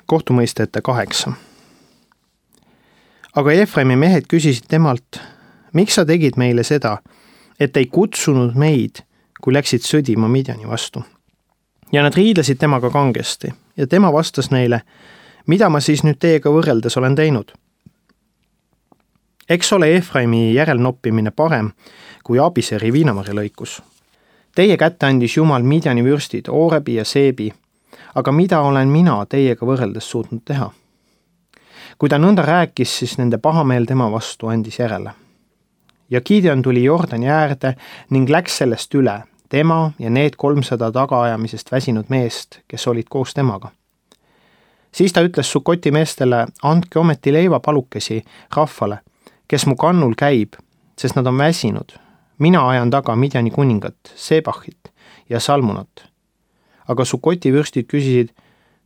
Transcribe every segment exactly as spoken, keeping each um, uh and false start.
kohtumõistjate kaheksa. Aga Efraimi mehed küsisid temalt, miks sa tegid meile seda, et ei kutsunud meid, kui läksid sõdima Midjani vastu. Ja nad riidlesid temaga kangesti ja tema vastas neile, mida ma siis nüüd teiega võrreldes olen teinud. Eks ole Efraimi järelnoppimine parem kui Abiseri viinamarja lõikus. Teie kätte andis Jumal Midjani vürstid, Oorebi ja Seebi, aga mida olen mina teiega võrreldes suutnud teha? Kui ta nõnda rääkis, siis nende pahameel tema vastu andis järele. Ja Gideon tuli Jordani äärde ning läks sellest üle, tema ja need kolmsada tagaajamisest väsinud meest, kes olid koos temaga. Siis ta ütles Sukoti meestele, andke ometi leivapalukesi rahvale, kes mu kannul käib, sest nad on väsinud. Mina ajan taga Midjani kuningat, Sebachit ja Salmunat. Aga Sukoti vürstid küsisid,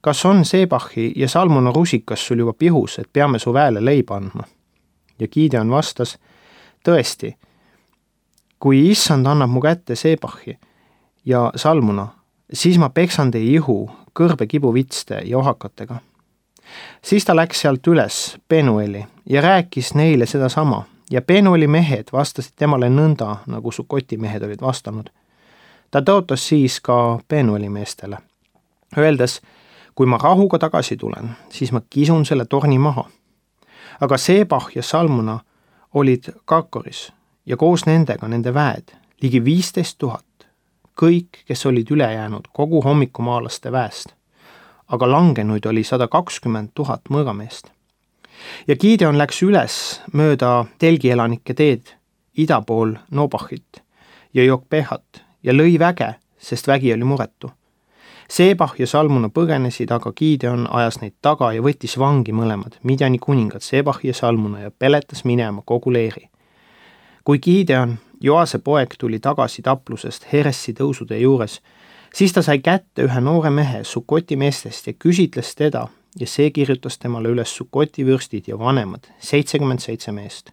kas on Sebachi ja Salmuna rusikas sul juba pihus, et peame su väele leiba andma? Ja Gideon vastas, tõesti, kui issand annab mu kätte Sebachi ja Salmuna, siis ma peksan teie ihu kõrbe kibuvitste ja ohakatega. Siis ta läks sealt üles Penueli ja rääkis neile seda sama ja Penueli mehed vastasid temale nõnda, nagu Sukoti mehed olid vastanud. Ta tõotas siis ka Penueli meestele, öeldes, kui ma rahuga tagasi tulen, siis ma kisun selle torni maha. Aga Sebach ja Salmuna olid Karkoris ja koos nendega nende väed, ligi viisteist tuhat, kõik, kes olid üle jäänud kogu hommikumaalaste väest. Aga langenuid oli sada kakskümmend tuhat mõõgameest. Ja Gideon läks üles mööda telgielanike teed ida pool Nobachit ja Jokpehat ja lõi väge, sest vägi oli muretu. Sebach ja Salmuna põgenesid, aga Gideon ajas neid taga ja võttis vangi mõlemad, Midjani kuningad Sebach ja Salmuna ja peletas minema kogu leeri. Kui Gideon, Joase poeg, tuli tagasi taplusest Heressi tõusude juures, siis ta sai kätte ühe noore mehe Sukoti meestest ja küsitles teda ja see kirjutas temale üles Sukoti vürstid ja vanemad, seitsekümmend seitse meest.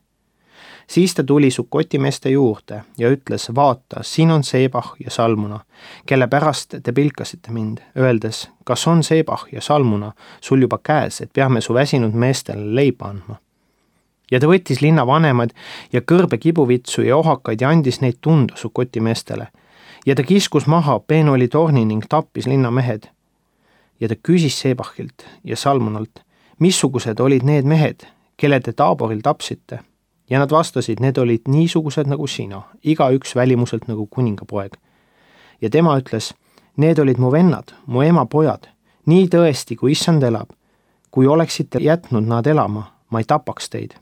Siis ta tuli Sukoti meeste juurde ja ütles, vaata, siin on Sebach ja Salmuna, kelle pärast te pilkasite mind, öeldes, kas on Sebach ja Salmuna sul juba käes, et peame su väsinud meestele leiba andma. Ja ta võttis linna vanemad ja kõrbe kibuvitsu ja ohakaid ja andis neid tunda Sukoti meestele. Ja ta kiskus maha Penueli torni ning tappis linna mehed. Ja ta küsis Sebachilt ja Salmunalt, missugused olid need mehed, kelle te Taaboril tapsite? Ja nad vastasid, need olid niisugused nagu sina, iga üks välimuselt nagu kuningapoeg. Ja tema ütles, need olid mu vennad, mu ema pojad, nii tõesti, kui issand elab. Kui oleksite jätnud nad elama, ma ei tapaks teid.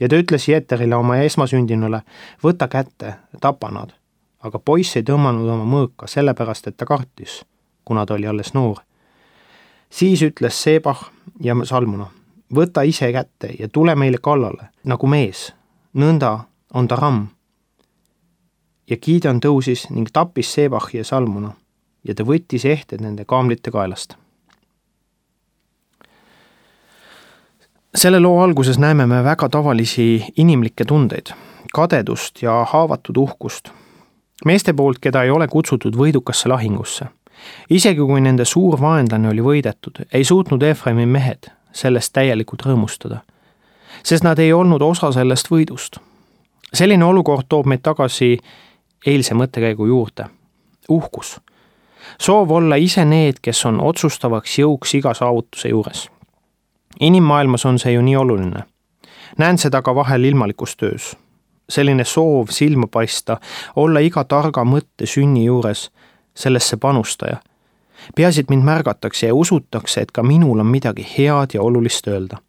Ja ta ütles Jeterile oma esmasündinule, võta kätte, tapa nad. Aga poiss ei tõmmanud oma mõõka, sellepärast, et ta kartis, kuna ta oli alles noor. Siis ütles Sebach ja Salmuna, võta ise kätte ja tule meile kallale, nagu mees, nõnda on ta ramm. Ja Gideon tõusis ning tappis Sebachi ja Salmuna ja ta võttis ehted nende kaamlite kaelast. Selle loo alguses näeme me väga tavalisi inimlikke tundeid, kadedust ja haavatud uhkust. Meeste poolt, keda ei ole kutsutud võidukasse lahingusse. Isegi kui nende suur vaenlane oli võidetud, ei suutnud Efraimi mehed sellest täielikult rõõmustada, sest nad ei olnud osa sellest võidust. Selline olukord toob meid tagasi eilse mõttekäigu juurde. Uhkus. Soov olla ise need, kes on otsustavaks jõuks iga saavutuse juures. Inimmaailmas on see ju nii oluline. Näen seda ka vahel ilmalikus töös. Selline soov silma paista, olla iga targa mõtte sünni juures, sellesse panustaja. Peaasi, et mind märgatakse ja usutakse, et ka minul on midagi head ja olulist öelda.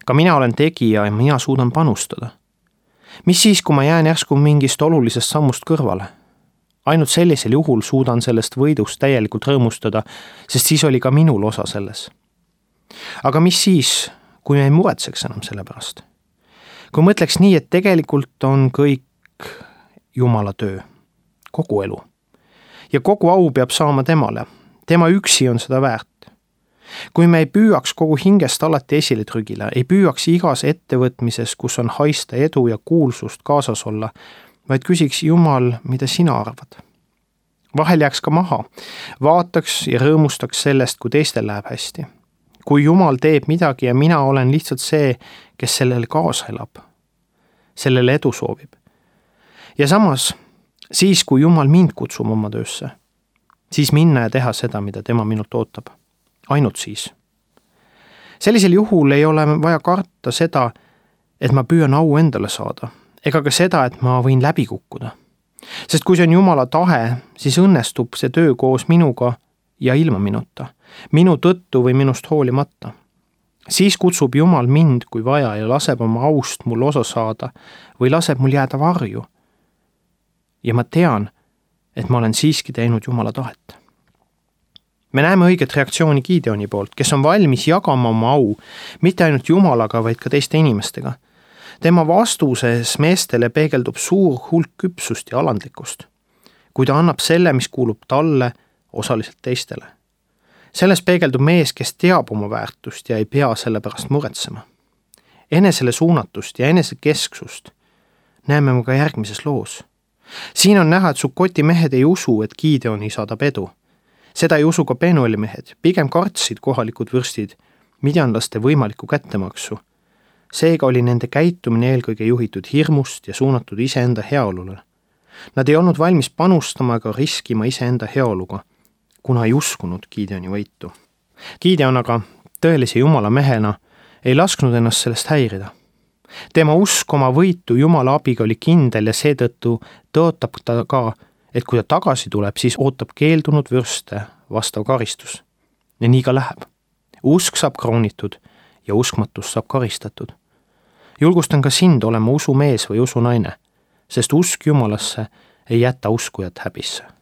Ka mina olen tegija ja mina suudan panustada. Mis siis, kui ma jään järsku mingist olulisest sammust kõrvale? Ainult sellisel juhul suudan sellest võidust täielikult rõõmustada, sest siis oli ka minul osa selles. Aga mis siis, kui me ei muretseks enam selle pärast? Kui mõtleks nii, et tegelikult on kõik Jumala töö, kogu elu. Ja kogu au peab saama temale. Tema üksi on seda väärt. Kui me ei püüaks kogu hingest alati esile trügile, ei püüaks igas ettevõtmises, kus on haista edu ja kuulsust kaasas olla, vaid küsiks Jumal, mida sina arvad. Vahel jääks ka maha, vaataks ja rõõmustaks sellest, kui teistel läheb hästi. kui Jumal teeb midagi ja mina olen lihtsalt see, kes sellele kaasa elab, sellele edu soovib. Ja samas, siis kui Jumal mind kutsub oma töösse, siis minna ja teha seda, mida tema minult ootab. Ainult siis. Sellisel juhul ei ole vaja karta seda, et ma püüan au endale saada, ega ka seda, et ma võin läbi kukkuda. Sest kui see on Jumala tahe, siis õnnestub see töö koos minuga ja ilma minuta, minu tõttu või minust hoolimata. Siis kutsub Jumal mind, kui vaja, ja laseb oma aust mul osa saada või laseb mul jääda varju. Ja ma tean, et ma olen siiski teinud Jumala tahet. Me näeme õiget reaktsiooni Gideoni poolt, kes on valmis jagama oma au, mitte ainult Jumalaga, vaid ka teiste inimestega. Tema vastuses meestele peegeldub suur hulk küpsust ja alandlikkust, kui ta annab selle, mis kuulub talle, osaliselt teistele. Selles peegeldub mees, kes teab oma väärtust ja ei pea selle pärast muretsema. Enesele suunatust ja enesekesksust näeme me ka järgmises loos. Siin on näha, et Sukoti mehed ei usu, et Gideoni saadab edu. Seda ei usu ka Penueli mehed, pigem kartsid kohalikud vürstid midjanlaste võimalikku kättemaksu. Seega oli nende käitumine eelkõige juhitud hirmust ja suunatud iseenda heaolule. Nad ei olnud valmis panustama ega riskima iseenda heaoluga, kuna ei uskunud Gideoni võitu. Gideon aga tõelise Jumala mehena ei lasknud ennast sellest häirida. Tema usk oma võitu Jumala abiga oli kindel ja seetõttu tõotab ta ka, et kui ta tagasi tuleb, siis ootab keeldunud vürste vastav karistus. Ja nii ka läheb. Usk saab kroonitud ja uskmatus saab karistatud. Julgustan ka sind olema usumees või usunaine, sest usk Jumalasse ei jäta uskujat häbisse.